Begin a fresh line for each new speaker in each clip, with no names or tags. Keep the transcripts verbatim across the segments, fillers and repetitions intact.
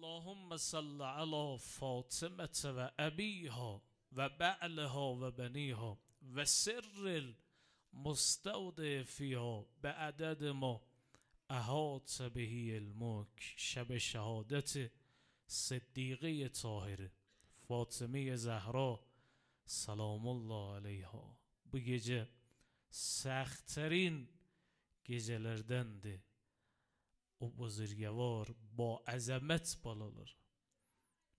اللهم صل على فاطمة و أبيها و بعلها و بنيها و سر المستودع فيها بعدد ما احاط به علمک. شب شهادت صدیقه طاهره فاطمه زهرا سلام الله علیها. Bu gece سخت‌ترین gecelerdendi. O buzurgavor با عظمت balalar.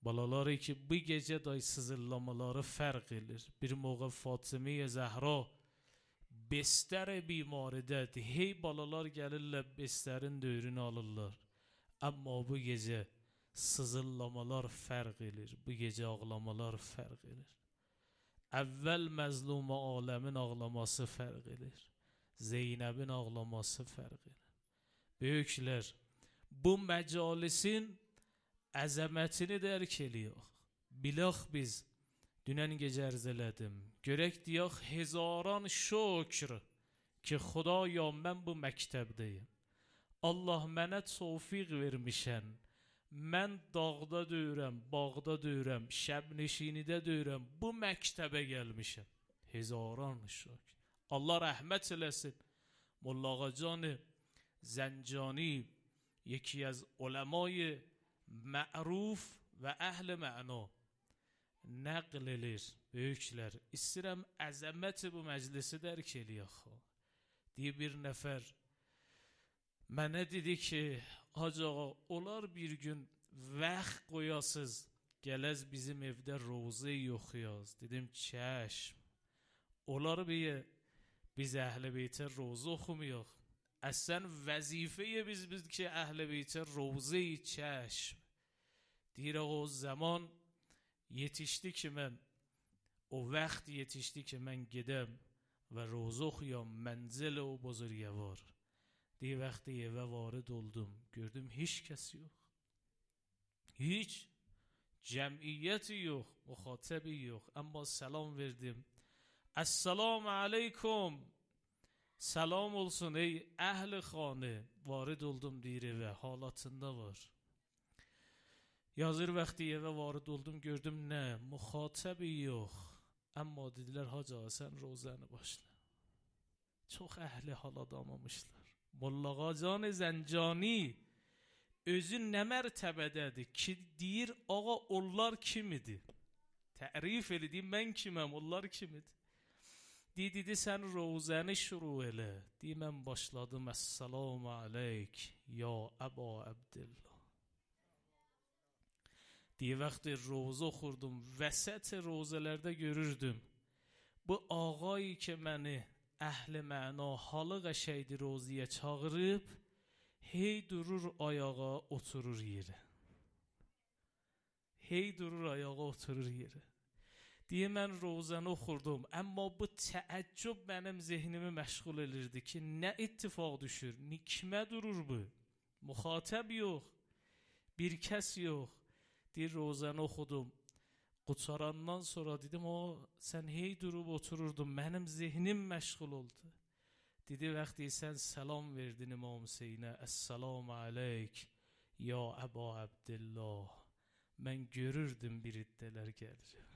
Balaları ki bu gece day sızırlamaları fark edilir. Bir موقع Fatıma Zahra bester bimaridədir. Hey balalar gəlirlər besterin döyrünü alırlar. Amma bu gece sızırlamalar fark edilir. Bu gece ağlamalar fark edilir. Əvvəl məzlum aləmin ağlaması fark edilir. Zeynəbin ağlaması fark edilir. Böyüklər bu məcalisin əzəmətini dərk ediyor. Bilək biz dünən gecə ərz elədim. Görək deyək hezaran şükr ki Xudaya mən bu məktəbdəyim. Allah mənə tövfiq vermişən. Mən dağda döyürəm, bağda döyürəm, şəbneşinidə döyürəm. Bu məktəbə gəlmişəm. Hezaran şükr. Allah rəhmət eləsin. Molla Ağacan زنجانی یکی از علمای معروف و اهل معنا نقل edir. Böyüklər, istəyirəm əzəməti bu məclisi dərk eləyək. Deyə bir nəfər mənə dedi ki, Hacı ağa, olar bir gün vaxt qoyasız, gələz bizim evdə roza oxuyaz. Dedim, çəşm. Olar bir biz əhl-i beytə roza oxumayaq. Əsən vəzifəyə biz biz ki əhl-i beytə roza-i çəşm. Deyir o zaman yetişdi ki mən, o vaxt yetişdi ki mən gedəm və roza oxuyam mənzil o buzurgavor. Deyir vaxtı evə varid oldum, gördüm heç kəs yox. Heç cəmiyyəti yox, müxatəbi yox. Amma salam verdim. Esselamu aleyküm. Salam olsun ey əhl-i xanə. Varid oldum deyir evə, halatında var. Yazır vaxtı evə varid oldum, gördüm nə, müxatəbi yox. Amma dedilər, Hacı ağa, sən rozanı başla. Çox əhli hal adamamışlar. Molla Ağacan Zəncani özü nə mərtəbədədir ki, deyir, ağa, onlar kimidir? Tərif elədi, mən kiməm, onlar kimidir? Deyir, dedi, sən rozəni şuru elə. Deyir, mən başladım, Əssalamu aleyk, ya Əba Əbdillah. Deyir, vaxtı roza oxurdum, vəsət rozalarda görürdüm. Bu ağayı ki, məni əhl-i məna halı qəşəydi roziyə çağırıb, hey durur ayağa, oturur yerə. Hey durur ayağa, oturur yerə. Deyir, mən rozanı oxurdum, amma bu təəccüb mənim zehnimi məşğul edirdi ki, nə ittifaq düşür, kimə durur bu? Müxatəb yox, bir kəs yox. Deyir, rozanı oxudum. Qutarandan sonra dedim, o sən hey durub otururdun, mənim zehnim məşğul oldu. Dedi, vaxtı sən salam verdin İmam Hüseynə, Əssalamu aleyk, ya Əba Əbdillah. Mən görürdüm bir iddələr gəlir.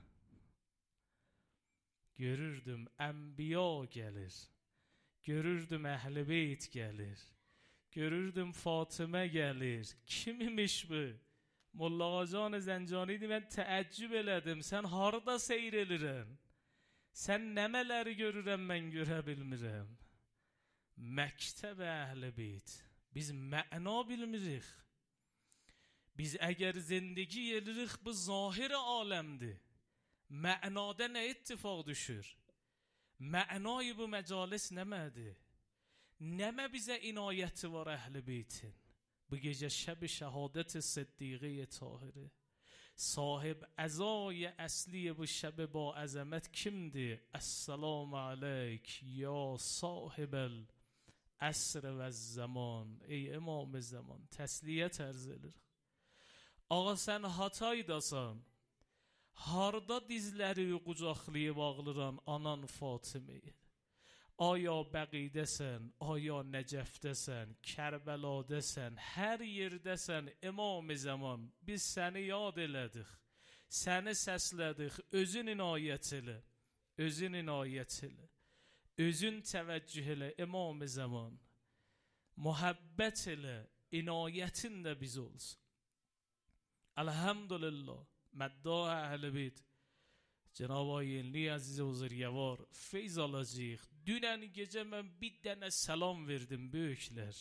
Görürdüm ənbiya gəlir. Görürdüm əhl-i beyt gəlir. Görürdüm Fatıma gəlir. Kim imiş bu? Molla Ağacan Zəncani deyir, mən təəccüb elədim. Sən harada seyr elirən? Sən nəmələri görürəm, mən görə bilmirəm. Məktəb əhl-i beyt. Biz məna bilmirik. Biz əgər zindagi elirik, bu zahir aləmdir. Mənada nə ittifaq düşür? Mənayı bu məcalis nəmədir? Nəmə bizə inayəti var əhl-i beytin? Bu gecə şəb-i şəhadət sıddiqə tahirə. Sahib əzای əsli bu şəb با əzəmət kimdir? Əssalamu aleyk ya sahib əsr və zaman. Ey imam zaman, təsliyyət ərz edir. Ağa sən hataydasan. Harda dizləri qucaqlayıb ağlıran anan Fatımayı? Aya Bəqidəsən, aya Nəcəfdəsən, Kərbələdəsən, hər yerdəsən İmam-ı Zaman. Biz səni yad elədik, səni səslədik, özün inayət elə, özün inayət elə, özün təvəccüh elə İmam-ı Zaman. Muhabbət elə, inayətin də biz olsun. Elhamdülillah. مداح اهل بیت جناب آینلی عزیز بزرگوار feyz alacağıq. Dünən gecə mən bir dənə salam verdim böyüklər.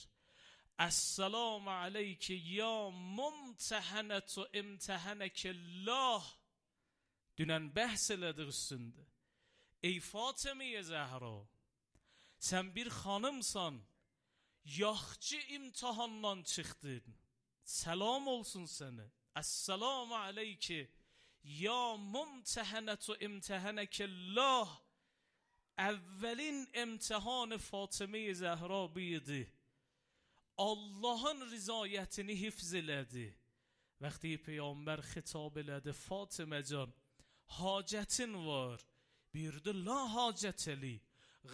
Esselamu aleyke ya mumtəhənətü imtəhənəkəllah. Dünən bəhs elədik üstündə. Ey Fatıma-i Zəhra, sən bir xanımsan, yaxçı imtihandan çıxdın. Salam olsun sənə. Esselamu aleyke ya mumtəhənətü imtəhənəkəllah. Əvvəlin imtihan Fatıma-i Zəhra buydu. Allahın rızayətini hifz elədi. Vəqti Peyğəmbər xitab elədi, Fatıma can, hacətin var. Buyurdu, la hacətəli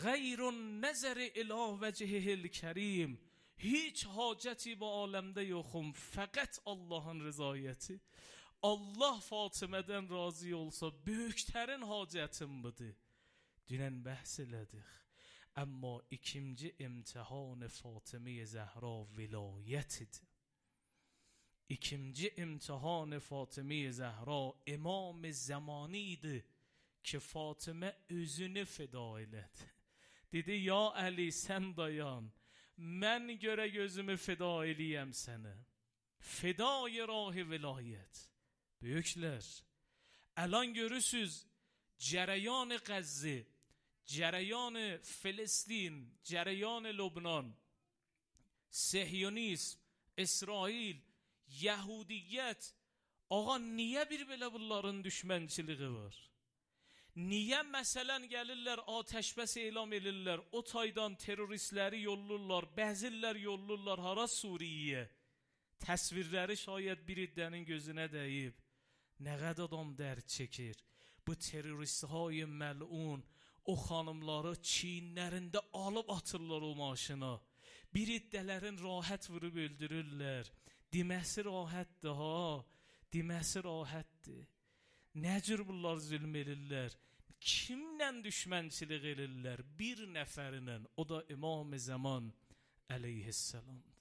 Gayrun nəzəri ilə vəcihil kərim. Hiç hacəti bu aləmdə yoxum, fəqət Allahın rızayəti. Allah Fatımədən razı olsa, böyüklərin hacətim budur. Dünən bəhs elədik. Amma ikinci imtihan Fatıma-i Zəhra vilayətidir. İkinci imtihan Fatıma-i Zəhra İmam-ı Zamanidir ki, Fatıma özünü fida elədi. Dedi, ya Əli sən dayan, mən görə gözümü fida eləyəm sənə. Fidai rahi vilayət. Böyüklər, əlan görürsüz, cərəyan Qəzzi, cərəyan Filistin, cərəyan Lübnan, Sehyonizm, İsrail, Yahudiyyət. Ağa, niyə bir belə bunların düşmənçiliği var? Niyə məsələn gəlirlər, atəşbəs elam edirlər, o taydan teröristləri yollurlar, bəzirlər yollurlar hara Suriyə? Təsvirləri şayət bir iddənin gözünə dəyib. Nə qədər adam dərd çəkir. Bu teröristهای məlun o xanımları çiyinlərində alıb atırlar o maşına. Bir iddələrin rahat vurub öldürürlər. Deməsi rahatdır ha, deməsi rahatdır. Nə cür bunlar zülm edirlər? Kimlə düşmənçilik edirlər? Bir nəfərinlə, o da İmam-ı Zaman əleyhisselamdır.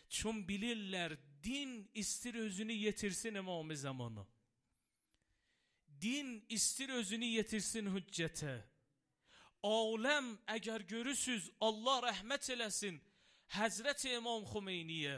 Çün bilirlər, din istir özünü yetirsin İmam-ı Zamanı. Din istir özünü yetirsin hüccətə. Aləm əgər görürsüz, Allah rəhmət eləsin, Həzrət-i İmam Xümeyniyə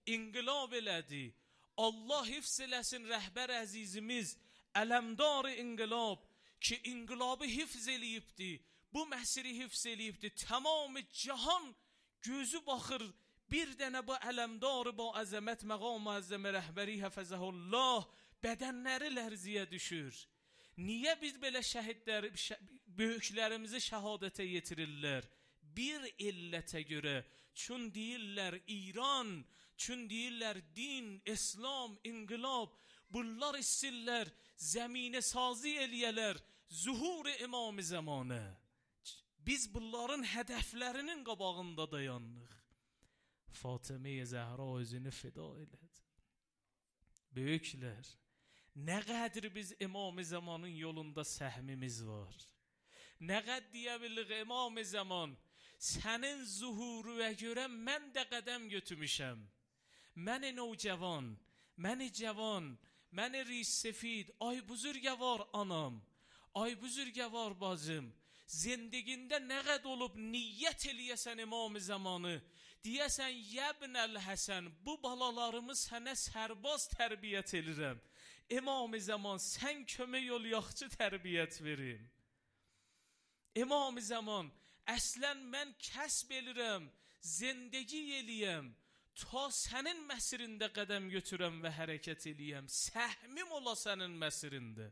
inqilab elədi. Allah hifz eləsin rəhbər əzizimiz, ələmdar-ı inqilab ki, inqilabı hifz eləyibdi, bu məsiri hifz eləyibdi. Tamamı cahan gözü baxır, bir dənə bu ələmdarı, bu əzəmət, məqam-ı əzzəmə rəhbəri həfəzəhullah, bədənləri lərziyə düşür. Niyə biz belə şəhidlər, böyüklərimizi şəhadətə yetirirlər? Bir illətə görə, çün deyirlər İran, çün deyirlər din, İslam, inqilab, bunlar istirlər, zəminə sazi eləyələr, zuhur-i İmam-ı Zamanə. Biz bunların hədəflərinin qabağında dayanıq. Fatıma-i Zəhra özünü fida elədi. Böyüklər, nə qədər biz İmam-ı Zamanın yolunda səhmimiz var. Nə qədər deyə bilirik, İmam-ı Zaman, sənin zuhuruna görə mən də qədəm götürmüşəm. Məni navcavan, məni cavan, məni ris-sefid, ay buzurgəvar anam, ay buzurgəvar bacım, zindegində nə qəd olub niyyət eləyəsən İmam-ı Zamanı, deyəsən, yəbnəl Həsən, bu balalarımı sənə sərbaz tərbiyyət edirəm. İmam-ı Zaman, sən kömək ol, yaxçı tərbiyyət verim. İmam-ı Zaman, əslən mən kəsb elirəm, zindegi eləyəm, ta sənin məsirində qədəm götürəm və hərəkət eləyəm, səhmim ola sənin məsirində.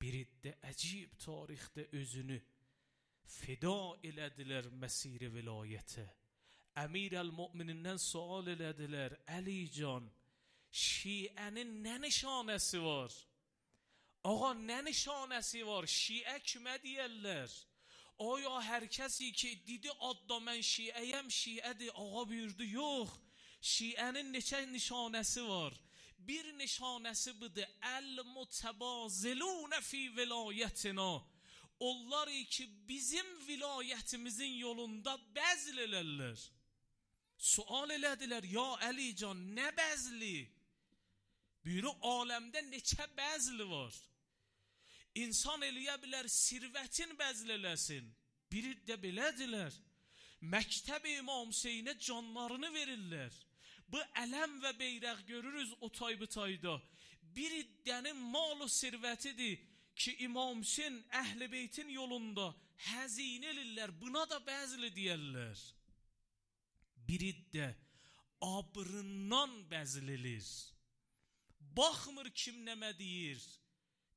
Bir iddə əcib tarixdə özünü fida elədilər məsir-i vilayətə. Əmir-əl-Mu'minindən sual elədilər, Əli can, şiənin nə nişanəsi var? Ağa, nə nişanəsi var? Şiə kimə deyərlər? Aya hər kəsi ki, dedi adda mən şiəyəm, şiədir. Ağa buyurdu, yox. Şiənin neçə nişanəsi var. Bir nişanəsi budur. El-mutebazilun fi vilayətina. Onlar ki, bizim vilayətimizin yolunda bəzl elərlər. Sual elədilər, ya Əli can, nə bəzli? Buyuru, aləmdə neçə bəzli var? İnsan eləyə bilər, sirvətin bəzl eləsin. Biri də belədilər. Məktəb-i İmam Hüseynə canlarını verirlər. Bu ələm və beyrək görürüz o tay-bu-tayda. Bir iddənin mal-u sirvətidir ki, İmam Hüseyn Əhl-i Beytin yolunda həzinə elirlər. Buna da bəzli deyərlər. Bir iddə abrından bəzl elir. Baxmır kim nəmə deyir.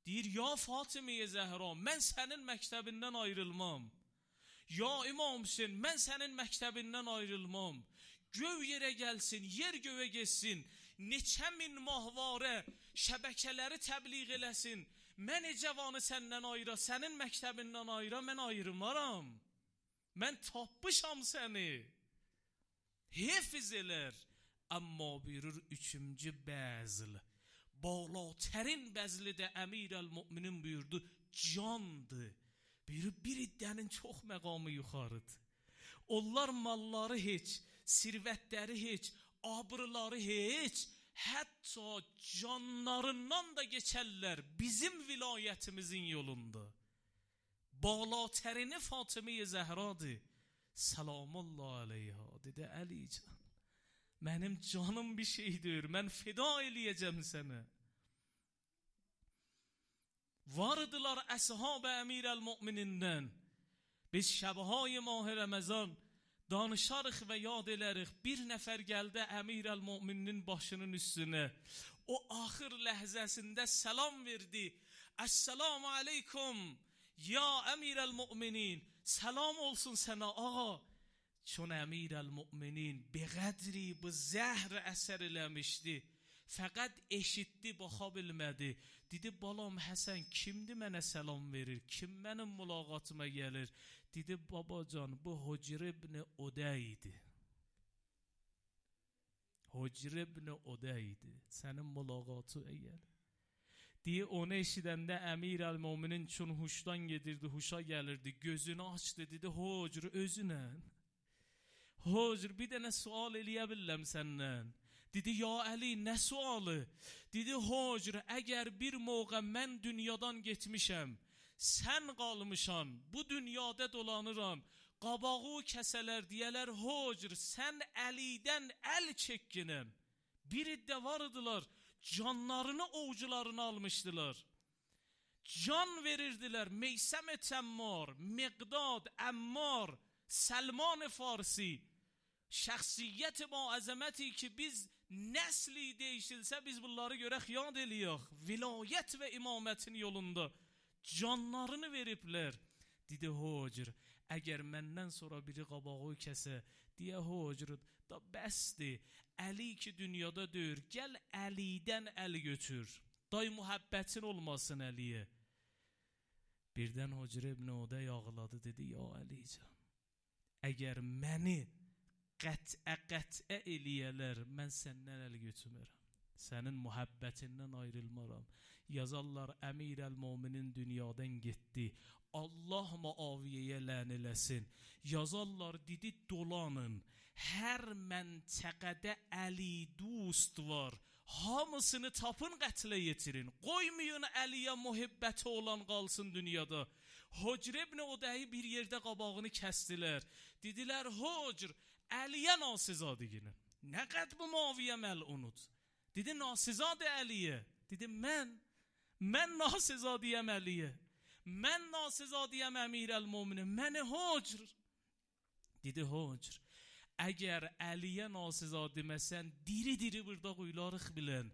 Deyir, ya Fatimə-i Zəhra, mən sənin məktəbindən ayrılmam. Ya İmam Hüseyn, mən sənin məktəbindən ayrılmam. Göv yerə gəlsin, yer göyə geçsin. Neçə min mahvarə şəbəkələri təbliğ eləsin. Mən cavanı səndən ayıra, sənin məktəbindən ayıra, mən ayrılmaram. Mən tapmışam səni. Hefiz elər. Amma buyurur üçüncü bəzl. Balatərin bəzli də Əmir-əl-Müminin buyurdu, candır. Buyurur, bir iddənin çox məqamı yuxarıdır. Onlar malları heç, sirvətləri heç, abrıları heç, hətta canlarından da geçərlər bizim vilayətimizin yolunda. Balatərini Fatimə-i Zəhradır. Salamullah aleyha. Dedi, Əli can, mənim canım bir şeydir, mən feda eləyəcəm sənə. Vardılar əshab-ı Əmir-əl-Müminindən. Biz şəbhay mah Ramazan danışarıq və yad elərik. Bir nəfər gəldi Əmir-əl-Müminin başının üstünə. O axır ləhzəsində salam verdi. Əssalamu aleykum ya Əmir-əl-Müminin. Salam olsun sənə ağa. Çون Əmir-əl-Müminin bəqədri bu zəhr əsər eləmişdi. Fəqət eşitdi, baxa bilmədi. Dedi, balam Həsən kimdir mənə salam verir? Kim mənim mülaqatıma gəlir? Dedi, babacan bu Hücr ibn Uday idi. Hücr ibn Uday idi. Sənin mülaqatı əgər. Diye onu eşidəndə Əmir-əl-Müminin çün huşdan gedirdi, huşa gəlirdi. Gözünü açdı, dedi, Hücr özünə. Hücr bir dənə sual eləyə biləm səndən. Dedi, ya Əli, nə sualı? Dedi, Hücr, əgər bir moğa mən dünyadan getmişəm, sən qalmışan, bu dünyada dolanıram, qabağı kəsələr deyələr, Hücr, sən Əlidən əl çəkkinəm. Bir iddə vardılar, canlarını ovucularına almışdılar. Can verirdilər, Meysəm-i Təmmar, Miqdad, Əmmar, Səlman Farsi. Şəxsiyyət ba əzəməti ki, biz nəsli değişilsə, biz bunları görək, yad eləyək. Vilayət və imamətin yolunda canlarını veriblər. Dedi, Hücr, əgər məndən sonra biri qabağı kəsə, deyə Hücr, da bəsdir. Əli ki dünyada döyür, gəl Əlidən əl götür. Day mühəbbətin olmasın Əliyə. Birdən Hücr ibn Uday ağladı, dedi, ya Əlican, əgər məni qətə qətə eləyələr, mən səndən əl götürmərəm. Sənin mühəbbətindən ayrılmaram. Yazarlar, Əmir-əl-Müminin dünyadan getdi. Allah Muaviyyəyə lən eləsin. Yazarlar, dedi, dolanın. Hər məntəqədə Əli dost var. Hamısını tapın, qətlə yetirin. Qoymayın Əliyə mühibbəti olan qalsın dünyada. Hücr ibn Udayı bir yerdə qabağını kəstilər. Dedilər, Hücr, Əliyə nasizadiginin. Nə qəd bu Muaviyyə məl'unud? Dedi, nasizadı Əliyə. Dedi, mən, mən nasizadiyəm Əliyə. Mən nasizadiyəm Əmir-əl-Müminin. Məni Hücr. Dedi, Hücr, əgər Əliyə nasizademəsən, diri-diri burada quylarıq bilən.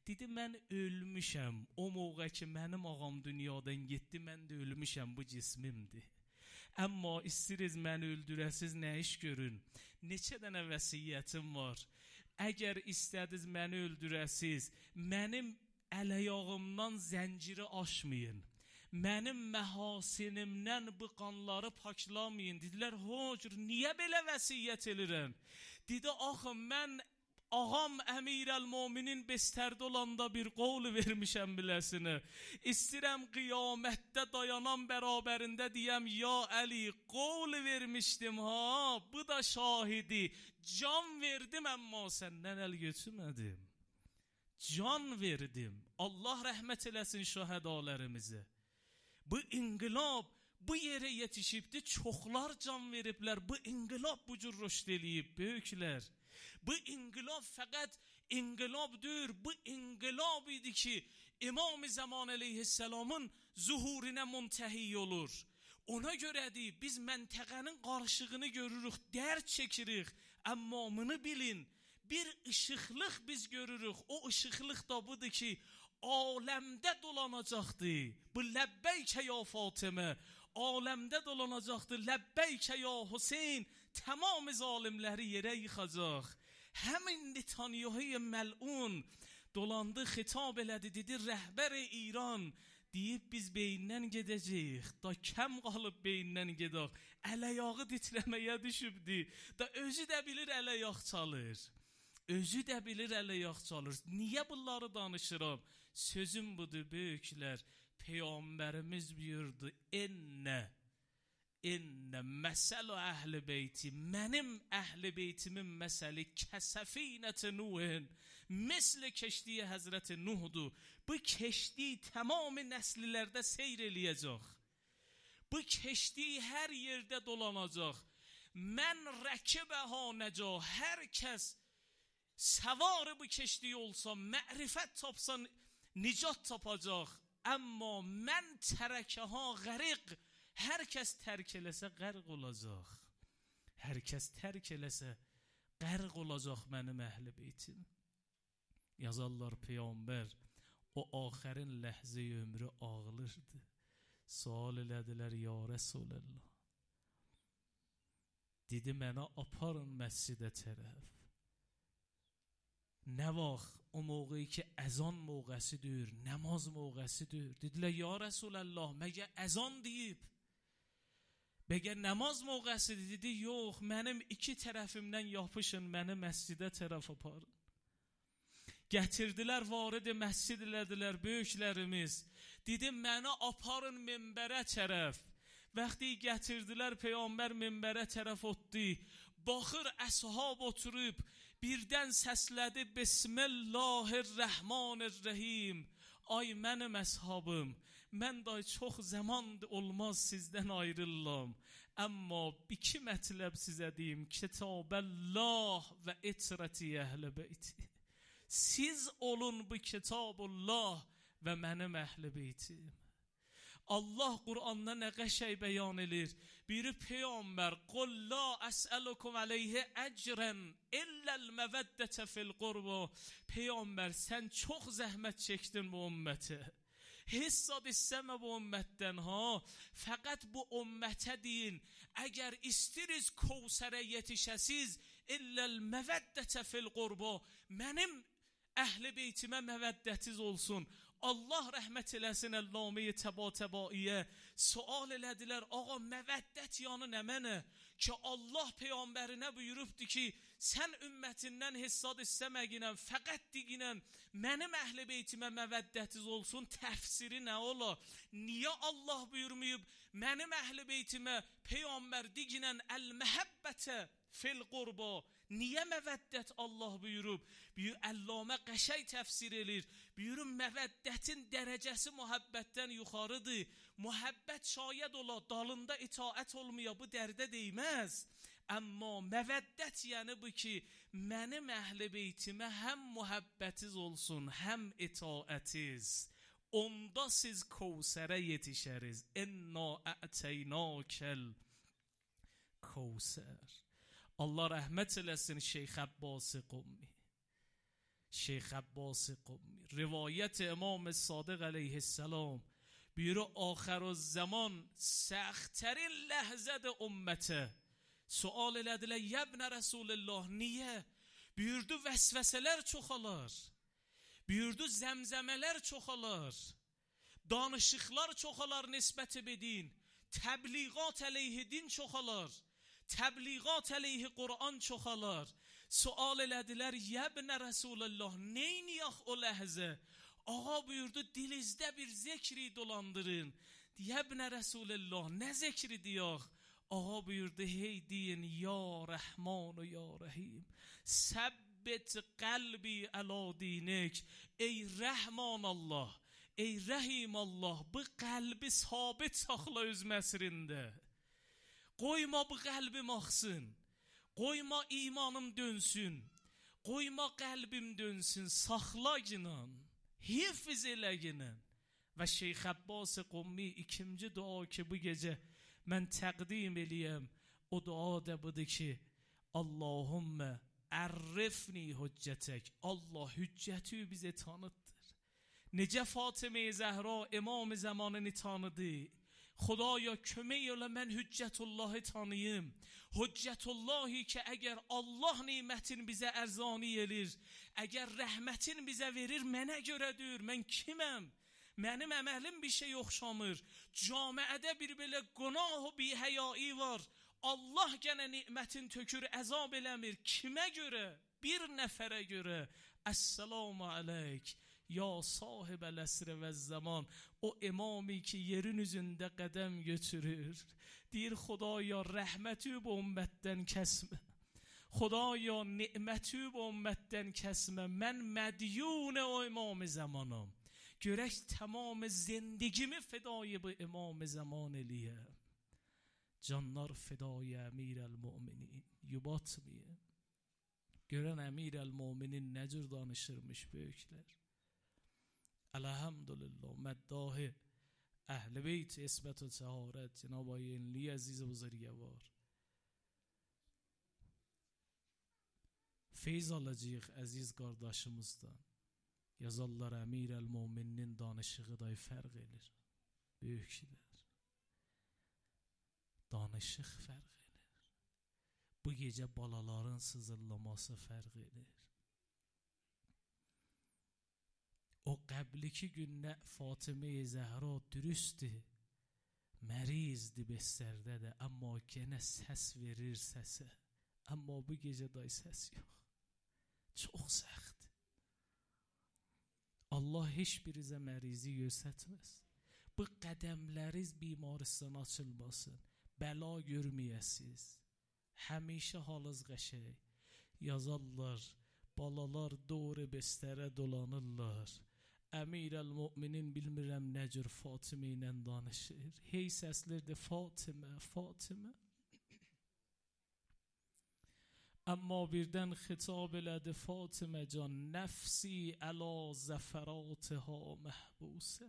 Dedi, mən ölmüşəm. O moğa ki, mənim ağam dünyadan getdi, mən də ölmüşəm, bu cismimdir. Amma istiriz məni öldürəsiz, nə iş görün? Neçə dənə vəsiyyətim var. Əgər istədiz məni öldürəsiz, mənim əl-ayağımdan zənciri aşmayın. mənim məhasinimdən bu qanları paklamayın. Dedilər, hocur, niyə belə vəsiyyət edirəm? Dedi, axı, mən ağam Əmirəl-Möminin bestərdə olanda bir qol vermişəm biləsinə. İstirəm qiyamətdə dayanan bərabərində deyəm, ya Əli, qol vermişdim ha, bu da şahidi. Can verdim, amma səndən əl götürmədim. Can verdim. Allah rəhmət eləsin şəhədələrimizə. Bu inqilab bu yerə yetişibdi, çoxlar can veriblər. Bu inqilab bu cür rüşd eləyib, böyüklər. Bu inqilab fəqət inqilabdır. Bu inqilab idi ki, İmam-ı Zaman əleyhisselamın zuhuruna müntəhi olur. Ona görədir, biz məntəqənin qarışığını görürük, dərd çəkirik. Amma bunu bilin, bir ışıqlıq biz görürük. O ışıqlıq da budur ki, aləmdə dolanacaqdı. Bu ləbbəykə ya Fatimə, aləmdə dolanacaqdı. Ləbbəykə ya Hüseyin, tamam zalimləri yerə yıxacaq. Həmin Netanyahu məlun dolandı, xitab elədi, dedi, rəhbər İran, deyib biz beyindən gedəcəyik, da kəm qalıb beyindən gedək, əl-ayağı titrəməyə düşübdü, da özü də bilir əl-ayaq çalır, özü də bilir əl-ayaq çalır. Niyə bunları danışıram? Sözüm budur, böyüklər, Peyğəmbərimiz buyurdu, ennə, ennə məsəl-i əhl-i beyti, mənim əhl-i beytimin məsəli kəsəfinət-i Nuhin, misli keşdiyi Həzrət-i Nuhdur. Bu keşdi tamamı nəslilərdə seyr eləyəcək. Bu keşdi hər yerdə dolanacaq. Mən rəkibəhə nəcə, hər kəs səvarı bu keşdi olsa, mərifət tapsa, nicat tapacaq. Amma mən tərəkəha qəriq, hər kəs tərk eləsə qərq olacaq. Hər kəs tərk eləsə qərq olacaq mənim əhl-i beytim. Yazarlar Peyğəmbər o axərin ləhzə ömrü ağılırdı. Sual elədilər, ya Rəsulallah. Dedi, mənə aparın məscidə tərəf. Nə vaxt o mövqeyi ki, əzan mövqəsidir, namaz mövqəsidir. Dedilər, ya Rəsulallah, məgə əzan deyib? Bəgər namaz mövqəsidir? Dedi, yox, mənim iki tərəfimdən yapışın, məni məscidə tərəf aparın. Gətirdilər, varidi məscid elədilər böyüklərimiz. Dedim, mənə aparın minbərə tərəf. Vaxtı gətirdilər, Peyğəmbər minbərə tərəf otdu. Baxır, əshab oturub, birdən səslədi, Bismillahirrahmanirrahim. Ay mənim əshabım, mən da çox zaman olmaz sizdən ayrıllam. Amma iki mətləb sizə deyim, Kitab-əllah və itrəti əhl-i beyti. Siz olun bu Kitab-ullah və mənim əhl-i beytim. Allah Qur'anda nə qəşəng bəyan edir. Biri Peyğəmbər, qul la əsəlukum aleyhi əcrən illəl məvəddətə fil qurba. Peyğəmbər, sən çox zəhmət çəkdin bu ümmətə. Hissad istəmə bu ümmətdən ha. Fəqət bu ümmətə deyin, əgər istiriz Kevsərə yetişəsiz, illəl məvəddətə fil qurba. Mənim əhl-i beytimə məvəddətiz olsun. Allah rəhmət eləsin, Əlləmi-i təba-təbaiyə sual elədilər, ağa məvəddət yanı nə mənə? Ki Allah Peyğəmbərinə buyurubdur ki, sən ümmətindən hissad istəməginən, fəqət diginən, mənim əhl-i beytimə məvəddətiz olsun, təfsiri nə ola? Niyə Allah buyurmayıb, mənim əhl-i beytimə Peyğəmbər diginən əl-məhəbbətə fil qurba? Niyə məvəddət Allah buyurub? Buyur, Əlləmə qəşəng təfsir edir. Buyurun, məvəddətin dərəcəsi mühəbbətdən yuxarıdır. Mühəbbət şayad ola, dalında itaət olmaya bu dərdə deyməz. Amma məvəddət yəni bu ki, mənim əhl-i beytimə həm mühəbbətiz olsun, həm itaətiz. Onda siz Kevsərə yetişəriz. İnna a'teynâkel Kevsər. Allah rəhmət eləsin Şeyx Abbasi Qummi. Şeyx Abbasi Qummi. Rivayət İmam Sadiq əleyhisselam. Buyuru, آخر الزمان سختترین لحظه ümmətə. Sual elədilər, yəbnə Rəsulullah, niyə? Buyurdu, vəsvəsələr çoxalar. Buyurdu, zəmzəmələr çoxalar. danışıqlar çoxalar nisbət bedin, təbliğat əleyhi din çoxalar, təbliğat əleyhi Qur'an çoxalar. Sual elədilər, yəbnə Rəsulullah, neyniyək o ləhzə? Ağa buyurdu, dilinizdə bir zikri dolandırın. Yəbnə Rəsulullah, nə zikri deyək? Ağa buyurdu, hey deyin, ya Rəhman ya Rəhim, səbbət qəlbi əla dinik. Ey Rəhman Allah, ey Rəhim Allah, bu qəlbi sabit saxla öz məsrində. Qoyma bu qəlbim axsın, qoyma imanım dönsün, qoyma qəlbim dönsün, saxla ginan, hifz elə ginan. Və Şeyx Abbas Qummi ikinci dua ki bu gecə mən təqdim eləyəm, o dua da budur ki, Allahümmə ərrifni hüccətək, Allah hüccəti bizə tanıtdır. Necə Fatıma-i Zəhra imam zamanını tanıdı, Xudaya kömək elə mən hüccətullahı tanıyım. Hüccətullahi ki əgər Allah nimətin bizə ərzani elir, əgər rəhmətin bizə verir, mənə görədir, mən kiməm? Mənim əməlim bir şey oxşamır. Camiədə bir belə günah və bihəyai var. Allah gənə nimətin tökür, əzab eləmir. Kimə görə? Bir nəfərə görə. Əssalamu aleyk. Ya sahib el-əsr və zaman, o imami ki yerin üzündə qədəm götürür, deyir Xudaya rəhməti bu ümmətdən kəsmə, Xudaya ni'məti bu ümmətdən kəsmə, mən mədyun o imam zamanım, görək tamam zindgimi fidai bu imam zaman eləyəm. Canlar fidai əmir el-müminin, yubatmıyım. Görən əmir el-müminin nə cür danışırmış böyüklər. Elhamdülillah مداح اهل بیت اسمت و طهارت جناب آقای انلی عزیز بزرگوار Feyz alacağıq əziz qardaşımızdan. Yazarlar Əmir el-Müminin danışığı da fərq edir. Böyüklər. Danışıq fərq edir. Bu gecə balaların sızıllaması fərq edir. O qəbliki gündə Fatıma-i Zəhra dürüstdür, mərizdir bestərdədir, amma yenə səs verir səsə. Amma bu gecə day səs yox. Çox səxt. Allah heç birizə mərizi göstərməz. Bu qədəmləriz bimaristan açılmasın. Bəla görməyəsiz. Həmişə halınız qəşəng. Yazarlar, balalar doğru bestərə dolanırlar. Əmir el-Müminin bilmirəm nə cür Fatıma ilə danışır. Hey səslərdə Fatıma, Fatıma. Amma birdən xitab elədi Fatıma can, nəfsi əla zəfəratiha məhbusə.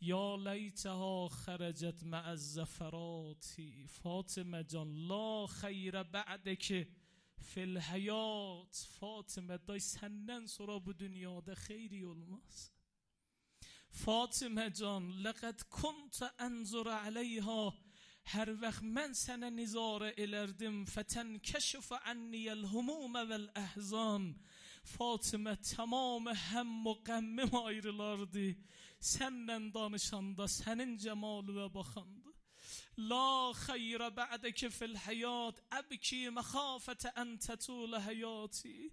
Ya leytəha xərəcət məəz-zəfərati. Fatıma can, la xeyrə bə'dəki fil hayat. Fatıma day senden sonra bu dünyada xeyri olmaz. Fatıma can, laqad kunta anzur aleyha. Hər vaxt mən sənə nizarə elərdim. Fətənkəşif anniyəl humum vəl əhzan. Fatıma tamam həm və qəmmim ayrılardı. Səndən danışanda sənin cəmalı və baxandı. La xeyra ba'deke fil hayat, əbki məxafətə ən tətulə həyati.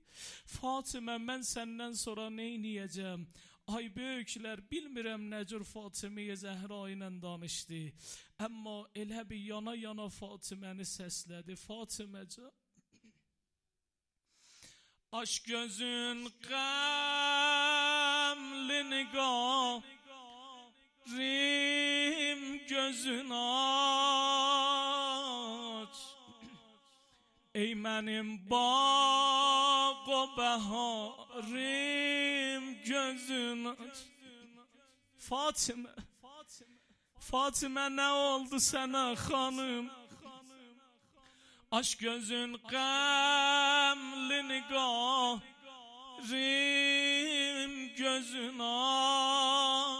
Fatıma, mən səndən sonra neyniyəcəm? Ay böyüklər, bilmirəm nə cür Fatıma-i Zəhra ilə danışdı. Amma elə bir yana yana Fatıməni səslədi. Fatımaca, aş gözün qəmli niqah, rim gözün aç. Ey mənim bağ o bəharim, gözün aç. Fatıma, Fatıma nə oldu sənə xanım? Aş gözün qəmli niqah, rim gözün aç.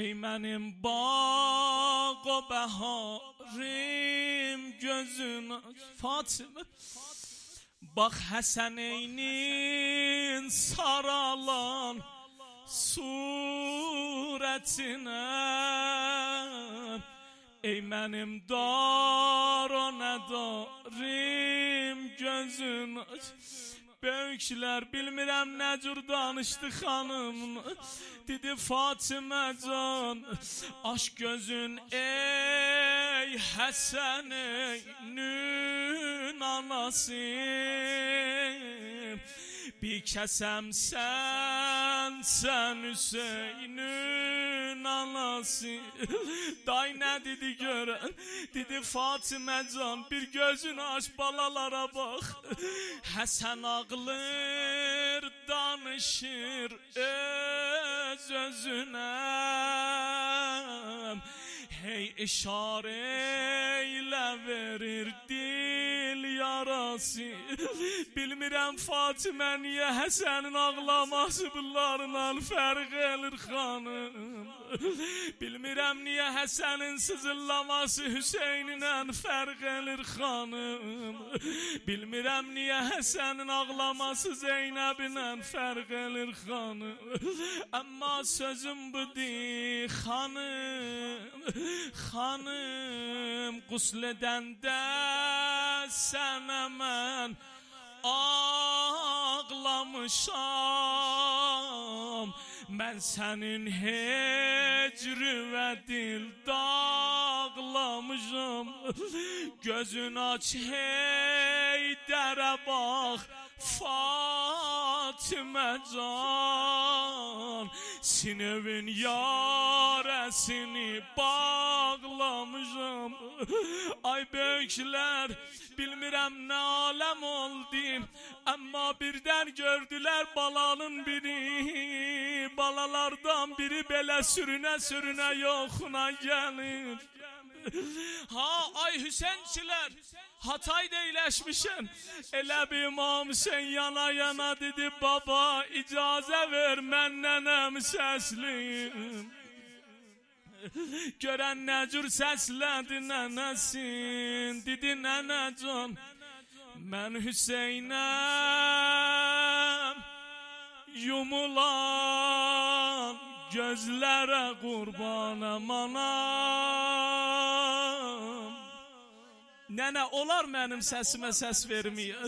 Ey mənim bağ o bəharim, gözün aç. Fatıma, bax Həsəneynin saralan su surətinə. Ey mənim dar o nədarim gözün aç. Böyüklər bilmirəm nə cür danışdı xanım. Dedi Fatimə can, aç gözün ey Həsən eynün anası. Bir kəsəm sən, sən Hüseynün anası. Day nə dedi görən? Dedi Fatimə can, bir gözünü aç balalara bax. Həsən ağlır, danışır öz özünə. Hey işarə ilə verir dil yarası. Bilmirəm Fatimə niyə Həsənin ağlaması bunlarla fərq edir xanım. Bilmirəm niyə Həsənin sızıllaması Hüseyninlə fərq edir xanım. Bilmirəm niyə Həsənin ağlaması Zeynəbinlə fərq edir xanım. Amma sözüm budur xanım. Xanım qusl edəndə sənə mən ağlamışam. Mən sənin hecri və dil dağlamışam. Gözün aç hey dərə bax Fatimə can. Sinevin yarəsini bağlamışam. Ay böyüklər, bilmirəm nə aləm oldu. Amma birdən gördülər balanın biri. Balalardan biri belə sürünə sürünə yoxuna gəlir. Ha ay Hüseynçilər, Hatay'da iyiləşmişəm. Elə bir imam sen yana yana dedi baba icazə ver mən nənəm səsliyim. Görən nə cür səslədi nənəsin. Dedi nənəcan mən Hüseynəm. Yumulan gözlərə qurbanam anam. Nənə olar mənim səsimə səs verməyir.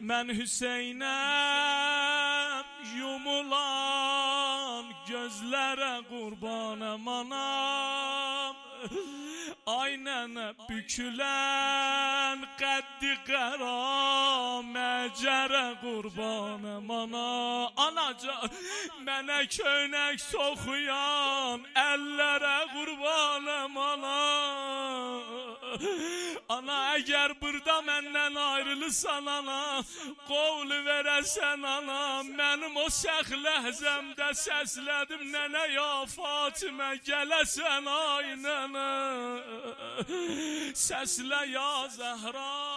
Mən Hüseynəm. Yumulan gözlərə qurbanam anam. Ay nənə bükülən qəddi qara məcərə qurbanam ana. Anacan mənə köynək soxuyan əllərə qurbanam ana. Ana əgər burada məndən ayrılırsan ana, qovl verəsən ana. Mənim o səx ləhzəmdə səslədim nənə ya Fatimə gələsən ay nənə. Səslə ya Zəhra.